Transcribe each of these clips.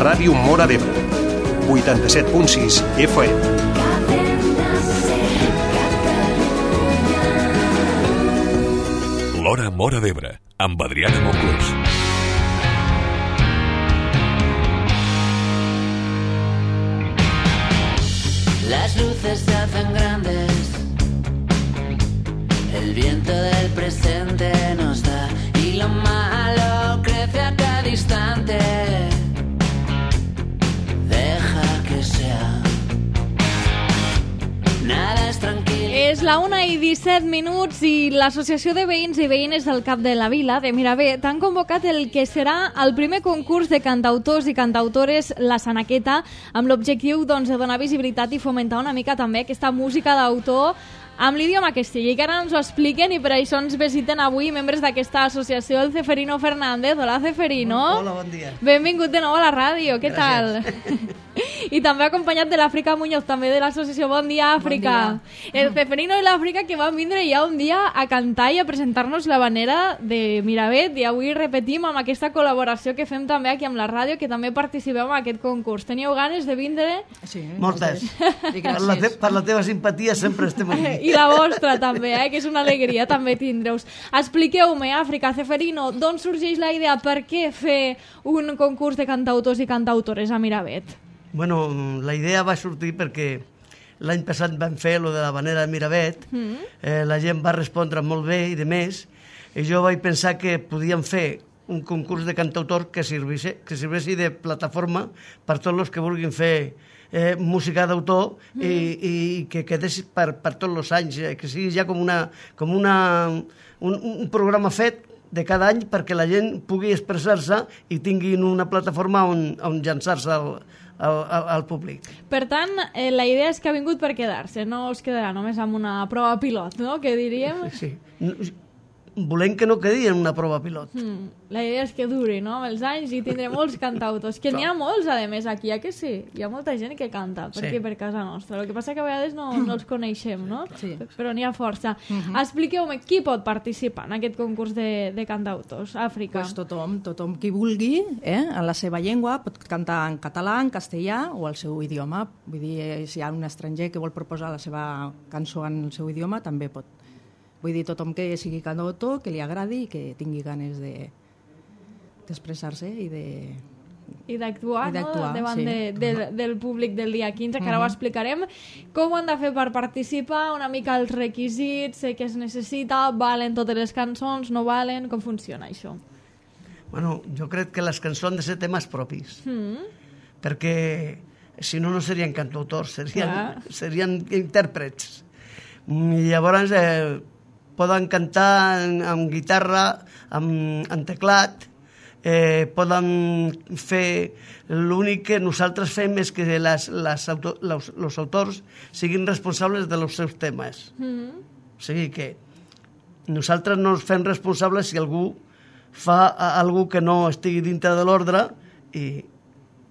Ràdio Móra d'Ebre, 87.6 FM. L'Hora Móra d'Ebre, amb Adriana Monclús. Las luces se hacen grandes, el viento del presente nos da y lo malo crece a cada instante. Deja que sea, nada es tranquilo. És la 1:17 i l'Associació de Veïns i Veïnes del Cap de la Vila, de Miravet, han convocat el que serà el primer concurs de cantautors i cantautores La Sanaqueta, amb l'objectiu de donar visibilitat i fomentar una mica també aquesta música d'autor amb l'idioma que sigui, que ara ens ho expliquen, i per això ens visiten avui membres d'aquesta associació, el Ceferino Fernández. Hola, Ceferino. Hola, bon dia. Benvingut de nou a la ràdio, què tal? I també acompanyat de l'Àfrica Muñoz, també de l'associació Bon Dia Àfrica. Bon dia. El Ceferino i l'Àfrica que van vindre ja un dia a cantar i a presentar-nos l'havanera de Miravet, i avui repetim amb aquesta col·laboració que fem també aquí amb la ràdio, que també participeu en aquest concurs. Teníeu ganes de vindre? Sí, moltes. Per la teva simpatia sempre estem aquí. I la vostra també, que és una alegria també tindreus. Expliqueu-me, Àfrica, Ceferino, d'on sorgeix la idea, per què fer un concurs de cantautors i cantautores a Miravet? Bueno, la idea va sortir perquè l'any passat vam fer lo de l'havanera de Miravet, la gent va respondre molt bé i de més, i jo vaig pensar que podíem fer un concurs de cantautors que serveixi de plataforma per tots els que vulguin fer música d'autor i que quedés per tots els anys, que sigui ja com un programa fet de cada any perquè la gent pugui expressar-se i tinguin una plataforma on llançar-se al públic. Per tant, la idea és que ha vingut per quedar-se, no es quedarà només amb una prova pilot, no?, que diríem. Sí. Volem que no quedi en una prova pilot. La idea és que duri, no?, amb els anys, i tindré molts cantautors, que n'hi ha molts, a més, aquí, que sí? Hi ha molta gent que canta per aquí, per casa nostra. El que passa que a vegades no els coneixem, no? Sí. Però n'hi ha força. Expliqueu-me, qui pot participar en aquest concurs de cantautors? Àfrica. Pues tothom qui vulgui, en la seva llengua, pot cantar en català, en castellà o el seu idioma. Vull dir, si hi ha un estranger que vol proposar la seva cançó en el seu idioma, també pot. Vull dir, tothom que sigui cantautor, que li agradi i que tingui ganes d'expressar-se i d'actuar, no?, davant del públic del dia 15, que ara ho explicarem. Com ho han de fer per participar? Una mica els requisits, què es necessita, valen totes les cançons, no valen? Com funciona això? Bueno, jo crec que les cançons han de ser temes propis, perquè si no, no serien cantautors, serien intèrprets. I llavors poden cantar amb guitarra, amb teclat, poden fer... L'únic que nosaltres fem és que els autors siguin responsables dels seus temes. O sigui que nosaltres no ens fem responsables si algú fa alguna que no estigui dintre de l'ordre i...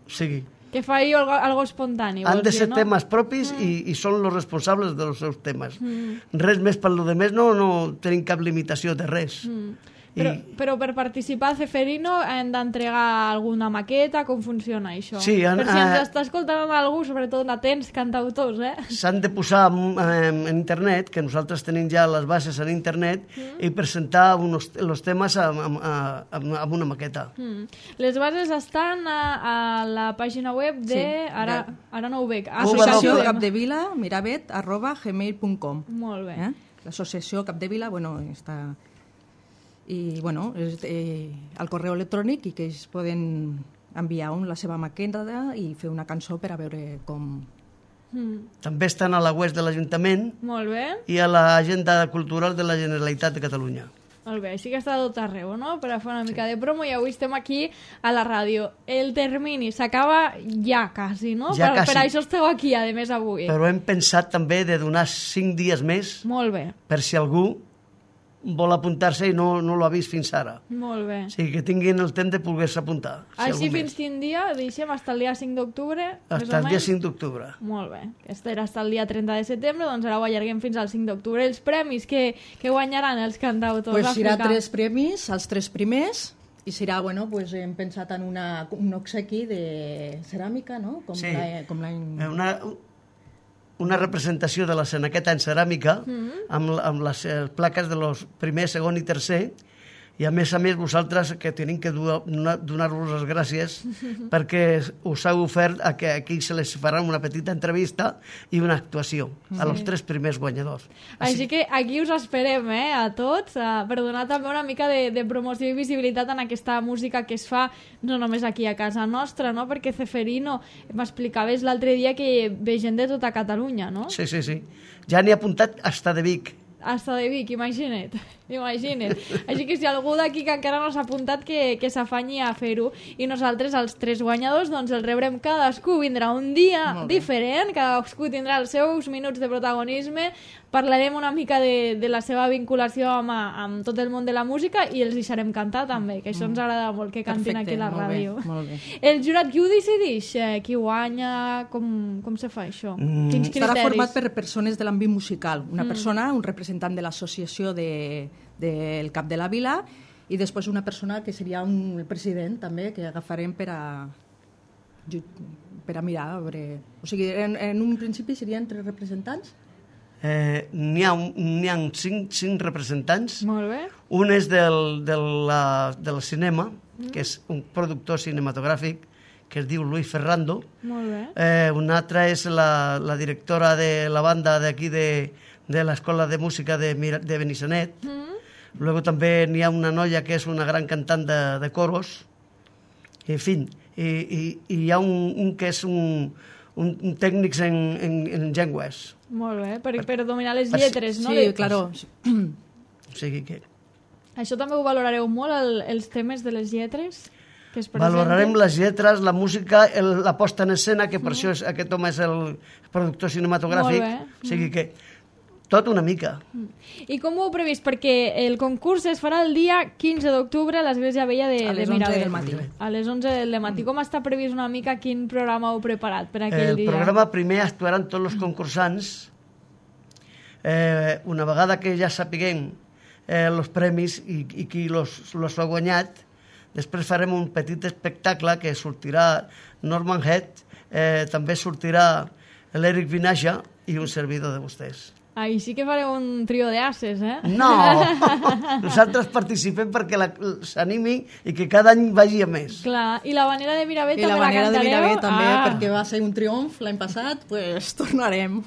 O sigui... Que faci algo espontani. Han de ser temes propis i són els responsables dels seus temes. Res més, per lo de més no tenim cap limitació de res. Però per participar, Ceferino, hem d'entregar alguna maqueta? Com funciona això? Sí, per si ens està escoltant algú, sobretot atents cantautors, S'han de posar en internet, que nosaltres tenim ja les bases en internet, i presentar els temes amb una maqueta. Les bases estan a la pàgina web de... Ara no ho veig. Associació Capdevila, miravet@gmail.com. Molt bé. L'associació Capdevila, està... i el correu electrònic, i que ells poden enviar la seva maqueta i fer una cançó per a veure com... També estan a la web de l'Ajuntament. Molt bé. I a l'agenda cultural de la Generalitat de Catalunya. Molt bé, així que està tot arreu, no?, per a fer una mica de promo, i avui estem aquí a la ràdio. El termini s'acaba ja quasi, no? Ja quasi. Per això esteu aquí, a més, avui. Però hem pensat també de donar 5 dies més. Molt bé. Per si algú vol apuntar-se i no l'ha vist fins ara. Molt bé. O sigui, que tinguin el temps de poder-se apuntar. Així fins quin dia? Deixem fins el dia 5 d'octubre? Fins el dia 5 d'octubre. Molt bé. Aquest era fins el dia 30 de setembre, doncs ara ho allarguem fins al 5 d'octubre. Els premis que guanyaran els cantautors Hi ha 3 premis. Els 3 primers I serà, bueno, pues hem pensat en un obsequi de ceràmica, no? Sí, una representació de la Senaqueta en ceràmica amb les plaques de los primer, segon i tercer, i a més vosaltres que tenim que donar-vos les gràcies perquè us heu ofert a que aquí se les farà una petita entrevista i una actuació a los 3 primers guanyadors. Així que aquí us esperem, a tots, per donar també una mica de promoció i visibilitat en aquesta música que es fa no només aquí a casa nostra, no? Perquè Ceferino, m'explicaves l'altre dia que ve gent de tota Catalunya, no? Sí. Ja n'he apuntat hasta de Vic. Hasta de Vic, imagina't. Així que si algú d'aquí que encara no s'ha apuntat que s'afanyi a fer-ho. I nosaltres, els 3 guanyadors, doncs el rebrem cadascú. Vindrà un dia diferent, cadascú tindrà els seus minuts de protagonisme, parlarem una mica de la seva vinculació amb tot el món de la música i els deixarem cantar també, que això ens agrada molt, que cantin aquí a la ràdio. Molt bé. El jurat qui ho decideix? Qui guanya? Com se fa això? Quins criteris? Estarà format per persones de l'àmbit musical. Una persona, un representant de l'associació del Cap de la Vila, i després una persona que seria el president també, que agafarem per a mirar. O sigui, en un principi serien 3 representants? N'hi ha 5 representants. Molt bé. Un és del cinema, que és un productor cinematogràfic que es diu Luis Ferrando. Molt bé. Un altre és la directora de la banda d'aquí de l'Escola de Música de Benissanet. Luego també n'hi ha una noia que és una gran cantant de coros. En fi, i hi ha un que és un tècnic en llengües. Molt bé, per dominar les lletres, no? Sí, claro. O sigui que... Això també ho valorareu molt, els temes de les lletres que es presenten? Valorarem les lletres, la música, la posta en escena, que per això aquest home és el productor cinematogràfic. Molt bé. O sigui que tot una mica. I com ho heu previst? Perquè el concurs es farà el dia 15 d'octubre a l'Església Vella de Miravet. A les 11 del matí. A les 11 del matí. Com està previst una mica quin programa heu preparat per aquell dia? El programa primer actuaran tots els concursants. Una vegada que ja sapiguem els premis i qui los ha guanyat, després farem un petit espectacle que sortirà Norman Head, també sortirà l'Eric Vinaja i un servidor de vostès. Ahí sí que fareu un trio d'ases, No! Nosaltres participem perquè s'animi i que cada any vagi a més. Clar, i la Vanera de Miravet també la cantareu? I la Vanera de Miravet també, perquè va ser un triomf l'any passat, pues tornarem.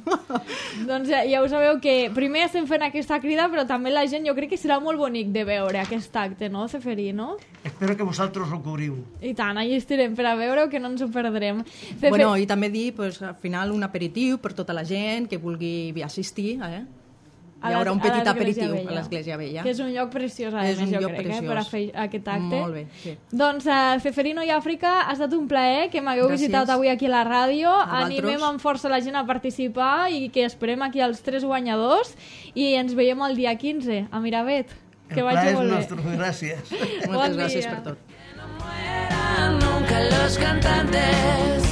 Doncs ja ho sabeu que primer estem fent aquesta crida, però també la gent, jo crec que serà molt bonic de veure aquest acte, no, Ceferino? Espero que vosaltres ho cobriu. I tant, allà estirem per a veure que no ens ho perdrem. Bueno, i també dir, pues, al final, un aperitiu per tota la gent que vulgui assistir. Hi haurà un petit aperitiu a l'Església Vella. Que és un lloc preciós, a més, jo crec, per a fer aquest acte. Molt bé, sí. Doncs, Ceferino i Àfrica, ha estat un plaer que m'hagueu visitat avui aquí a la ràdio. Animem amb força la gent a participar i que esperem aquí els 3 guanyadors i ens veiem el dia 15 a Miravet. Que vagi molt bé. El plaer és nostre, gràcies. Moltes gràcies per tot. Que no mueran nunca los cantantes.